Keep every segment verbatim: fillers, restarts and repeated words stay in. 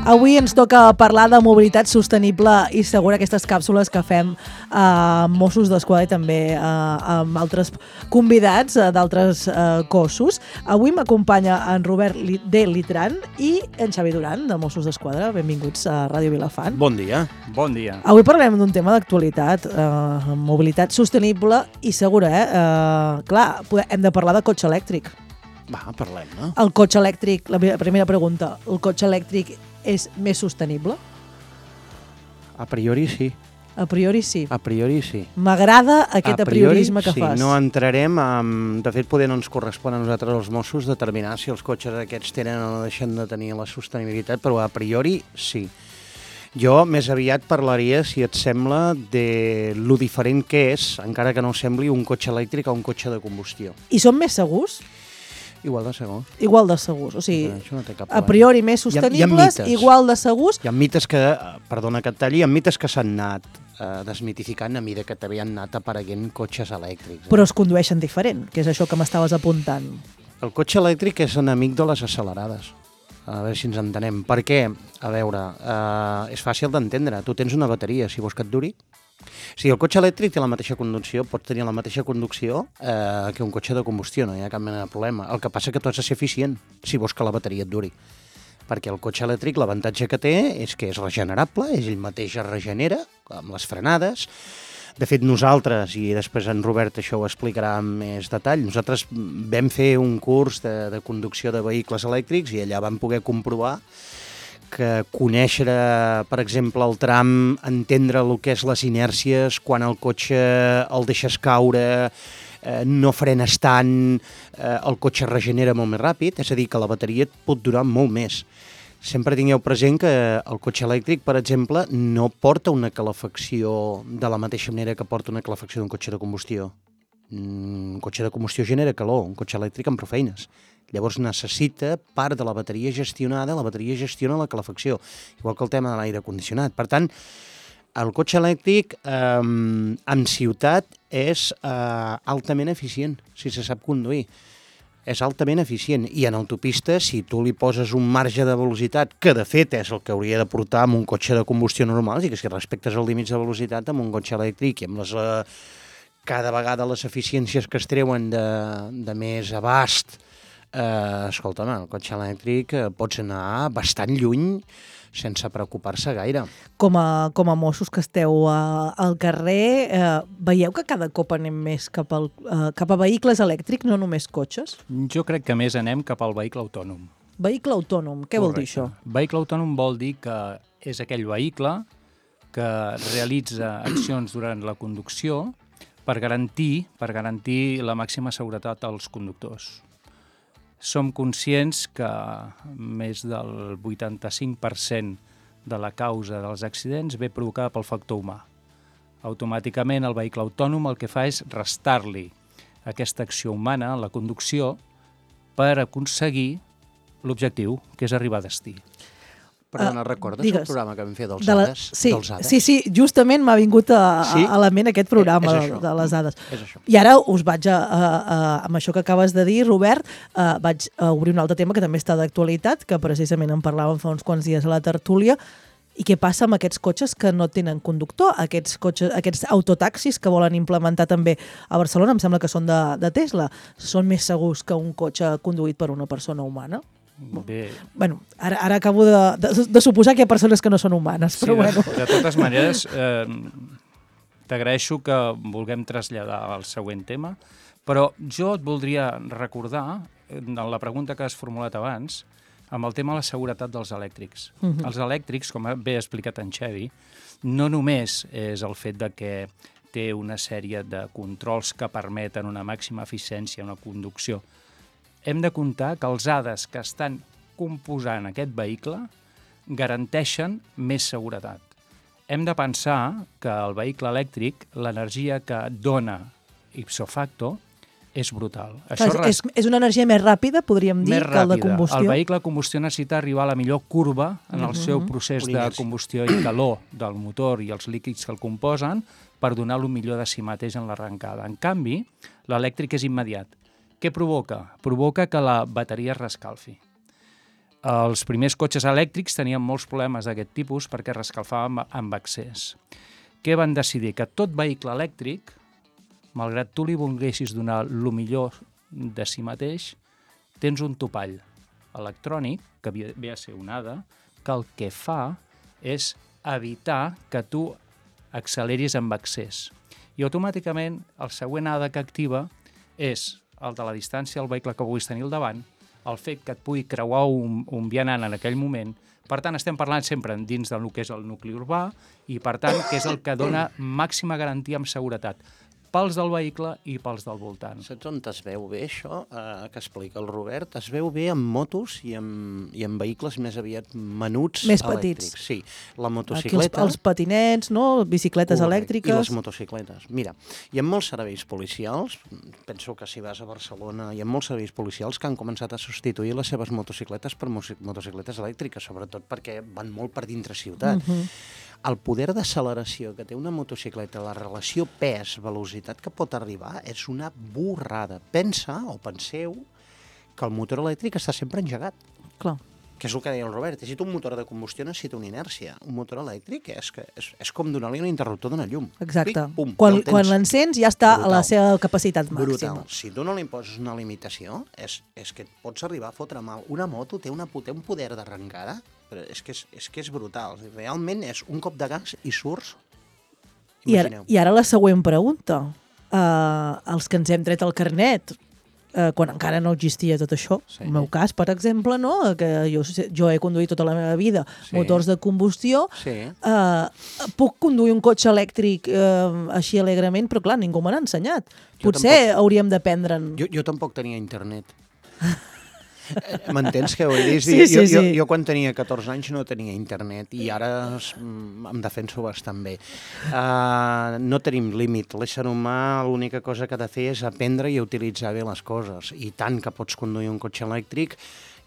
Avui ens toca parlar de mobilitat sostenible i segura, aquestes càpsules que fem a eh, Mossos d'Esquadra i també eh, amb altres convidats eh, d'altres eh, cossos. Avui m'acompanya en Robert de Litran i en Xavi Duran, de Mossos d'Esquadra. Benvinguts a Ràdio Vilafant. Bon dia. Bon dia. Avui parlem d'un tema d'actualitat, eh, mobilitat sostenible i segura. Eh? Eh, clar, hem de parlar de cotxe elèctric. Va, parlem, no? El cotxe elèctric, la primera pregunta, el cotxe elèctric és més sostenible? A priori sí. A priori sí. A priori sí. M'agrada aquest a priori, apriorisme que sí. fas. No entrarem en... De fet, poder no ens correspon a nosaltres, els Mossos, determinar si els cotxes aquests tenen o no deixen de tenir la sostenibilitat, però a priori sí. Jo més aviat parlaria, si et sembla, de lo diferent que és, encara que no sembli, un cotxe elèctric a un cotxe de combustió. I són més segurs? Igual de segurs. Igual de segurs, o sigui, no té cap a priori més sostenibles, hi ha, hi ha igual de segurs. Hi ha mites que, perdona que et talli, hi ha mites que s'han anat eh, desmitificant a mesura que també han anat apareguent cotxes elèctrics. Eh? Però es condueixen diferent, que és això que m'estaves apuntant. El cotxe elèctric és enemic de les accelerades. A veure si ens entenem. Per què? A veure, eh, és fàcil d'entendre. Tu tens una bateria, si vols que et duri. Si el cotxe elèctric té la mateixa conducció, pots tenir la mateixa conducció eh, que un cotxe de combustió, no hi ha cap mena de problema. El que passa és que tu has de ser eficient, si vols que la bateria et duri. Perquè el cotxe elèctric, l'avantatge que té és que és regenerable, és ell mateix es regenera, amb les frenades. De fet, nosaltres, i després en Robert això ho explicarà amb més detall, nosaltres vam fer un curs de, de conducció de vehicles elèctrics i allà vam poder comprovar que conèixer, per exemple, el tram, entendre el que és les inèrcies, quan el cotxe el deixes caure, eh, no frenes tant, eh, el cotxe es regenera molt més ràpid, és a dir, que la bateria et pot durar molt més. Sempre tingueu present que el cotxe elèctric, per exemple, no porta una calefacció de la mateixa manera que porta una calefacció d'un cotxe de combustió. Un cotxe de combustió genera calor, un cotxe elèctric amb prou feines. Llavors necessita part de la bateria gestionada, la bateria gestiona la calefacció, igual que el tema de l'aire condicionat. Per tant, el cotxe elèctric eh, en ciutat és eh, altament eficient, si se sap conduir. És altament eficient. I en autopista, si tu li poses un marge de velocitat, que de fet és el que hauria de portar amb un cotxe de combustió normal, i que si respectes els límits de velocitat amb un cotxe elèctric i amb les... Eh, cada vegada les eficiències que es treuen de, de més abast, Eh, escolta'm, el cotxe elèctric eh, pots anar bastant lluny sense preocupar-se gaire. Com a, com a Mossos que esteu uh, al carrer, eh, veieu que cada cop anem més cap, al, uh, cap a vehicles elèctrics, no només cotxes? Jo crec que més anem cap al vehicle autònom. Vehicle autònom, què Correcte. Vol dir això? Vehicle autònom vol dir que és aquell vehicle que realitza accions durant la conducció per garantir, per garantir la màxima seguretat als conductors. Som conscients que més del vuitanta-cinc per cent de la causa dels accidents ve provocada pel factor humà. Automàticament el vehicle autònom el que fa és restar-li aquesta acció humana en la conducció per aconseguir l'objectiu, que és arribar a destí. Perdona, Uh, recordes digues. el programa que vam fer dels De la... Hades? Sí, dels Hades? sí, sí, justament m'ha vingut a, Sí? a la ment aquest programa Eh, és de, això. de les dades. És això. I ara us vaig a, a, a, amb això que acabes de dir, Robert, uh, vaig a obrir un altre tema que també està d'actualitat, que precisament en parlàvem fa uns quants dies a la tertúlia. I què passa amb aquests cotxes que no tenen conductor, aquests, cotxes, aquests autotaxis que volen implementar també a Barcelona, em sembla que són de, de Tesla, són més segurs que un cotxe conduït per una persona humana? Bé, Bueno, ara, ara acabo de, de, de suposar que hi ha persones que no són humanes, sí, però bueno. de, de totes maneres, eh, t'agraeixo que vulguem traslladar al següent tema, però jo et voldria recordar, en la pregunta que has formulat abans, amb el tema de la seguretat dels elèctrics. Uh -huh. Els elèctrics, com bé ha explicat en Xavi, no només és el fet de que té una sèrie de controls que permeten una màxima eficiència en la conducció. Hem de comptar que els Hades que estan composant aquest vehicle garanteixen més seguretat. Hem de pensar que el vehicle elèctric, l'energia que dona ipso facto, és brutal. Això Clar, és, és una energia més ràpida, podríem dir, més que el de ràpida. combustió? El vehicle de combustió necessita arribar a la millor curva en el Uh-huh. seu procés Una de inèrcia. combustió i calor del motor i els líquids que el composen per donar el millor de si mateix en l'arrencada. En canvi, l'elèctric és immediat. Què provoca? Provoca que la bateria es rescalfi. Els primers cotxes elèctrics tenien molts problemes d'aquest tipus perquè rescalfaven amb excés. Què van decidir? Que tot vehicle elèctric, malgrat tu li volguessis donar el millor de si mateix, tens un topall electrònic, que ve a ser un A D A, que el que fa és evitar que tu acceleris amb excés. I automàticament el següent A D A que activa és el de la distància al vehicle que vulguis tenir al davant, el fet que et pugui creuar un, un vianant en aquell moment. Per tant, estem parlant sempre dins del que és el nucli urbà i, per tant, que és el que dona màxima garantia amb seguretat pels del vehicle i pels del voltant. Saps on es veu bé això, eh, que explica el Robert? Es veu bé en motos i en, i en vehicles més aviat menuts més elèctrics. Petits. Sí, la motocicleta... Aquí els, els patinets, no? Bicicletes Correcte. elèctriques... I les motocicletes. Mira, hi ha molts serveis policials, penso que si vas a Barcelona, hi ha molts serveis policials que han començat a substituir les seves motocicletes per motocicletes elèctriques, sobretot perquè van molt per dintre ciutat. Uh-huh. El poder d'acceleració que té una motocicleta, la relació pes-velocitat que pot arribar, és una borrada. Pensa, o penseu, que el motor elèctric està sempre engegat. Clar. Que és el que deia el Robert. Si tu un motor de combustió necessita una inèrcia. Un motor elèctric és, que és, és com donar-li un interruptor d'un llum. Exacte. Pic, pum, quan ja quan l'encens ja està brutal. a la seva capacitat màxima. Brutal. Si tu no li imposes una limitació, és, és que et pots arribar a fotre mal. Una moto té, una, té un poder d'arrencada, però és que és, és que és brutal. Realment és un cop de gas i surts. I ara, I ara la següent pregunta. Uh, els que ens hem tret el carnet, uh, quan encara no existia tot això, sí. El meu cas, per exemple, no? Que jo, jo he conduït tota la meva vida sí. Motors de combustió, sí. uh, puc conduir un cotxe elèctric uh, així alegrement, però clar, ningú me n'ha ensenyat. Jo Potser tampoc... hauríem d'aprendre'n. Jo, jo tampoc tenia internet. M'entens què vull dir? Sí, sí, jo, sí. jo, jo quan tenia catorze anys no tenia internet i ara em defenso bastant bé. Uh, no tenim límit. L'ésser humà l'única cosa que ha de fer és aprendre i utilitzar bé les coses. I tant que pots conduir un cotxe elèctric,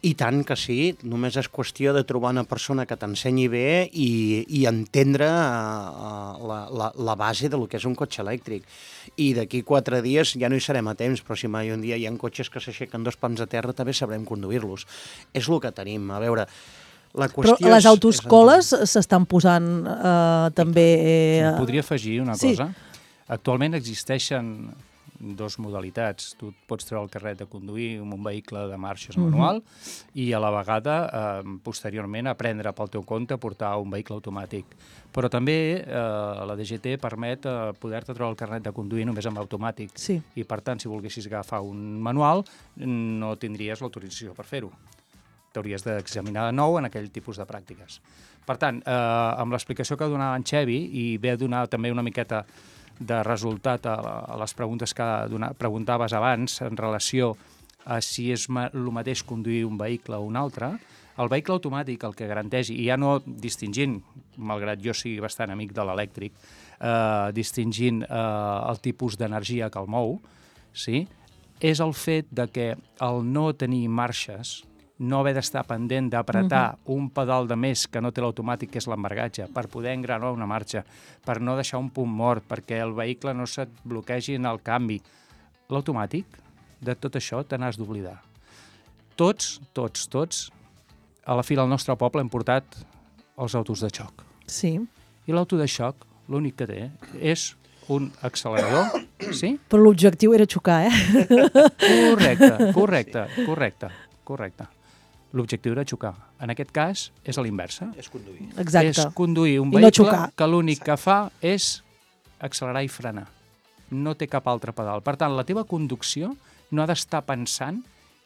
i tant que sí, només és qüestió de trobar una persona que t'ensenyi bé i, i entendre uh, la, la, la base del que és un cotxe elèctric. I d'aquí quatre dies ja no hi serem a temps, però si mai un dia hi ha cotxes que s'aixequen dos pams a terra, també sabrem conduir-los. És el que tenim. A veure, la qüestió però les és, autoescoles s'estan posant uh, també... Uh... Podria afegir una sí. cosa. Actualment existeixen dos modalitats. Tu pots treure el carnet de conduir amb un vehicle de marxes manual uh-huh. i a la vegada, eh, posteriorment, aprendre pel teu compte a portar un vehicle automàtic. Però també eh, la D G T permet eh, poder-te treure el carnet de conduir només amb automàtic. Sí. I, per tant, si volguessis agafar un manual, no tindries l'autorització per fer-ho. T'hauries d'examinar de nou en aquell tipus de pràctiques. Per tant, eh, amb l'explicació que donava en Xevi, i ve a donar també una miqueta de resultat a, a les preguntes que dona, preguntaves abans en relació a si és ma, el mateix conduir un vehicle o un altre, el vehicle automàtic el que garanteix, i ja no distingint, malgrat jo sigui bastant amic de l'elèctric, eh, distingint eh, el tipus d'energia que el mou, sí? És el fet de que el no tenir marxes, no haver d'estar pendent d'apretar uh-huh. un pedal de més que no té l'automàtic, que és l'embargatge, per poder engranar una marxa, per no deixar un punt mort, perquè el vehicle no se't bloquegi en el canvi. L'automàtic, de tot això, te n'has d'oblidar. Tots, tots, tots, a la fi del nostre poble hem portat els autos de xoc. Sí. I l'auto de xoc, l'únic que té és un accelerador, sí? Però l'objectiu era xocar, eh? Correcte, correcte, correcte, correcte. L'objectiu era xocar. En aquest cas, és a l'inversa. És conduir. Exacte. És conduir un I vehicle no que l'únic que fa és accelerar i frenar. No té cap altre pedal. Per tant, la teva conducció no ha d'estar pensant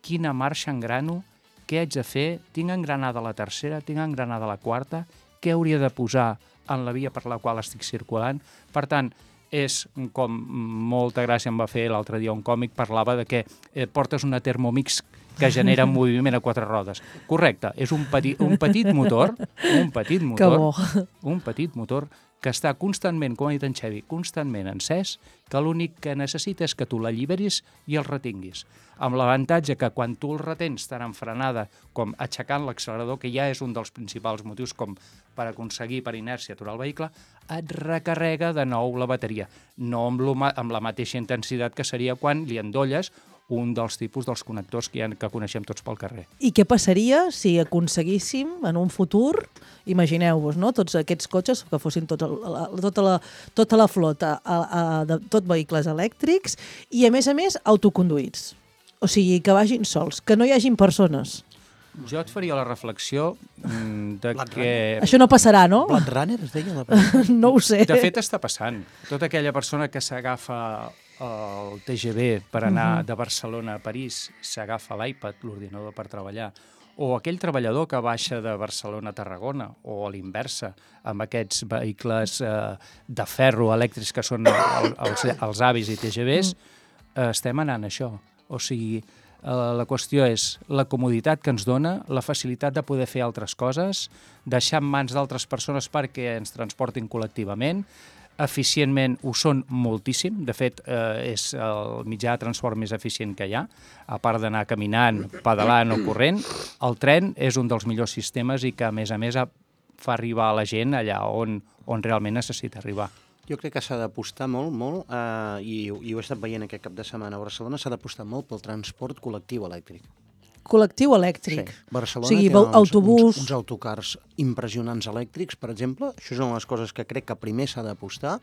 quina marxa engrano, què haig de fer, tinc engranada la tercera, tinc engranada la quarta, què hauria de posar en la via per la qual estic circulant. Per tant, és com molta gràcia em va fer l'altre dia un còmic, parlava de que eh, portes una Thermomix que genera un moviment a quatre rodes. Correcte, és un petit, un petit motor, un petit motor, un petit motor que està constantment, com ha dit en Xevi, constantment encès, que l'únic que necessita és que tu l'alliberis i el retinguis. Amb l'avantatge que quan tu el retens tant en frenada com aixecant l'accelerador, que ja és un dels principals motius com per aconseguir per inèrcia aturar el vehicle, et recarrega de nou la bateria. No amb, amb la mateixa intensitat que seria quan li endolles un dels tipus dels connectors que, ha, que coneixem tots pel carrer. I què passaria si aconseguíssim en un futur, imagineu-vos, no? Tots aquests cotxes que fossin tots el, la, tota, la, tota la flota a, a, de tot vehicles elèctrics i, a més a més, autoconduïts. O sigui, que vagin sols, que no hi hagin persones. Jo et faria la reflexió mm, de Blade que... Això no passarà, no? Blade Runner es deia la No ho sé. De fet, està passant. Tota aquella persona que s'agafa el T G V per anar de Barcelona a París, s'agafa l'iPad, l'ordinador per treballar, o aquell treballador que baixa de Barcelona a Tarragona, o a l'inversa, amb aquests vehicles eh, de ferro elèctrics que són el, els, els avis i T G Vs, eh, estem anant a això. O sigui, eh, la qüestió és la comoditat que ens dona, la facilitat de poder fer altres coses, deixar en mans d'altres persones perquè ens transportin col·lectivament, eficientment ho són moltíssim, de fet eh, és el mitjà de transport més eficient que hi ha, a part d'anar caminant, pedalant o corrent, el tren és un dels millors sistemes i que a més a més fa arribar a la gent allà on, on realment necessita arribar. Jo crec que s'ha d'apostar molt, molt, eh, i, i ho he estat veient aquest cap de setmana a Barcelona, s'ha d'apostar molt pel transport col·lectiu elèctric. Col·lectiu elèctric. Sí. Barcelona O sigui, té uns, autobús... uns, uns autocars impressionants elèctrics, per exemple. Això és una de les coses que crec que primer s'ha d'apostar.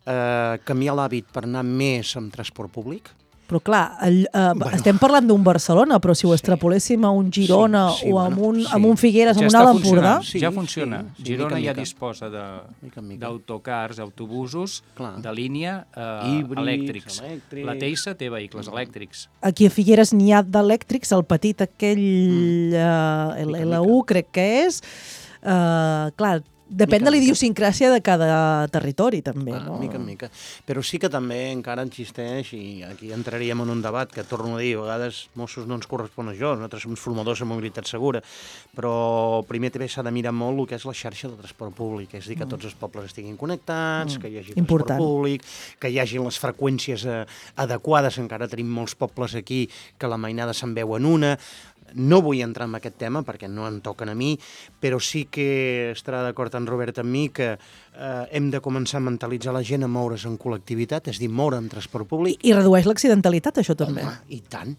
Eh, canviar l'hàbit per anar més amb transport públic. Però clar, el, eh, Bueno. estem parlant d'un Barcelona, però si ho extrapoléssim a un Girona Sí, sí, o amb bueno, un, sí. amb un Figueres, amb Ja un està Alt Empordà... funcionant, Sí, ja funciona. sí, sí, Girona mica en ja mica. disposa de, Mica en mica. d'autocars, autobusos Clar. de línia eh, Híbrids, elèctrics. elèctrics. La Teissa té vehicles elèctrics. Aquí a Figueres n'hi ha d'elèctrics, el petit aquell mm. uh, Mica en L U crec que és. Uh, clar, depèn Mica de en la idiosincràsia de cada territori, també, Ah, no? mica en mica. Però sí que també encara existeix, i aquí entraríem en un debat que, torno a dir, a vegades Mossos no ens correspon a això, nosaltres som formadors de mobilitat segura, però primer també s'ha de mirar molt el que és la xarxa de transport públic, és a dir, que tots els pobles estiguin connectats, Mm. que hi hagi Important. transport públic, que hi hagi les freqüències eh, adequades, encara tenim molts pobles aquí que la mainada se'n veu en una. No vull entrar en aquest tema perquè no em toquen a mi, però sí que estarà d'acord en Robert amb mi que eh, hem de començar a mentalitzar la gent a moure's en col·lectivitat, és a dir, moure en transport públic. I, I redueix l'accidentalitat, això també. Home, i tant.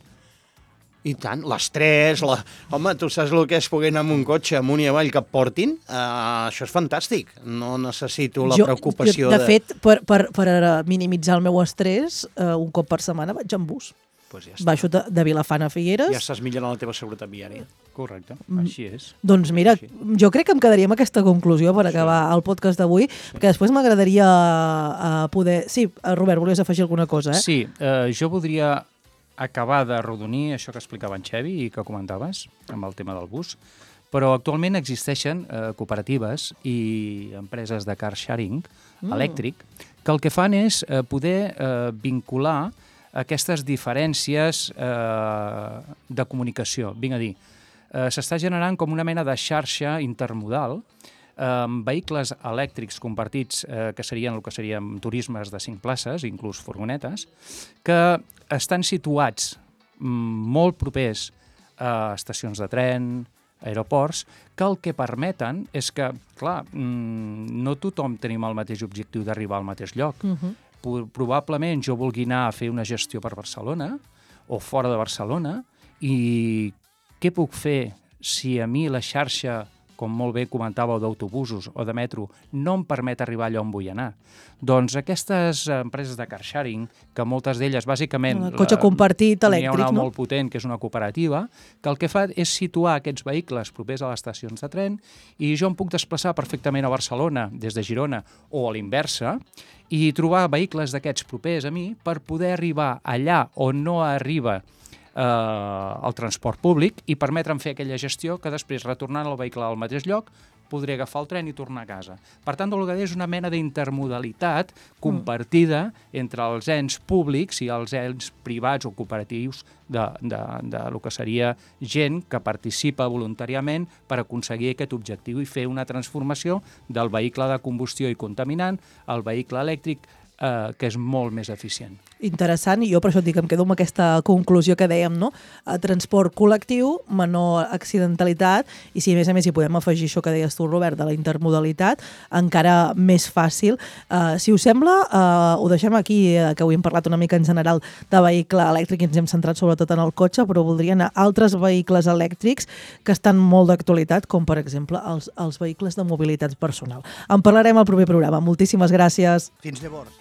I tant. L'estrès, la... Home, tu saps el que és poder anar amb un cotxe amunt i avall que et portin? Uh, això és fantàstic. No necessito la preocupació jo, de... de... De fet, per, per, per minimitzar el meu estrès, uh, un cop per setmana vaig en bus. Pues ja està. Baixo de, de Vilafant a Figueres. Ja estàs millorant la teva seguretat viària. Correcte, Mm. així és. Doncs mira, Així. jo crec que em quedaria amb aquesta conclusió per acabar el podcast d'avui, perquè després m'agradaria uh, poder... Sí, uh, Robert, volies afegir alguna cosa, eh? Sí, eh, jo voldria acabar de rodonir això que explicava en Xevi i que comentaves amb el tema del bus, però actualment existeixen eh, cooperatives i empreses de car sharing mm. elèctric que el que fan és eh, poder eh, vincular aquestes diferències eh, de comunicació. Vinc a dir, eh, s'està generant com una mena de xarxa intermodal amb vehicles elèctrics compartits, eh, que serien el que serien turismes de cinc places, inclús furgonetes, que estan situats mm, molt propers a estacions de tren, aeroports, que el que permeten és que, clar, mm, no tothom tenim el mateix objectiu d'arribar al mateix lloc. Uh -huh. Probablement jo vulgui anar a fer una gestió per Barcelona o fora de Barcelona i què puc fer si a mi la xarxa, com molt bé comentàveu, d'autobusos o de metro, no em permet arribar allà on vull anar. Doncs aquestes empreses de car sharing, que moltes d'elles, bàsicament... El cotxe compartit elèctric, n'hi ha una no? molt potent, que és una cooperativa, que el que fa és situar aquests vehicles propers a les estacions de tren i jo em puc desplaçar perfectament a Barcelona des de Girona o a l'inversa i trobar vehicles d'aquests propers a mi per poder arribar allà on no arriba eh, el transport públic i permetre'm fer aquella gestió que després, retornant el vehicle al mateix lloc, podré agafar el tren i tornar a casa. Per tant, el que és una mena d'intermodalitat compartida entre els ens públics i els ens privats o cooperatius de, de, de lo que seria gent que participa voluntàriament per aconseguir aquest objectiu i fer una transformació del vehicle de combustió i contaminant al vehicle elèctric, eh, que és molt més eficient. Interessant, i jo per això et dic, em quedo amb aquesta conclusió que dèiem, no? Transport col·lectiu, menor accidentalitat, i si a més a més hi podem afegir això que deies tu, Robert, de la intermodalitat, encara més fàcil. Uh, si us sembla, uh, ho deixem aquí, uh, que avui hem parlat una mica en general de vehicle elèctric i ens hem centrat sobretot en el cotxe, però voldria anar a altres vehicles elèctrics que estan molt d'actualitat, com per exemple els, els vehicles de mobilitat personal. En parlarem al proper programa. Moltíssimes gràcies. Fins llavors.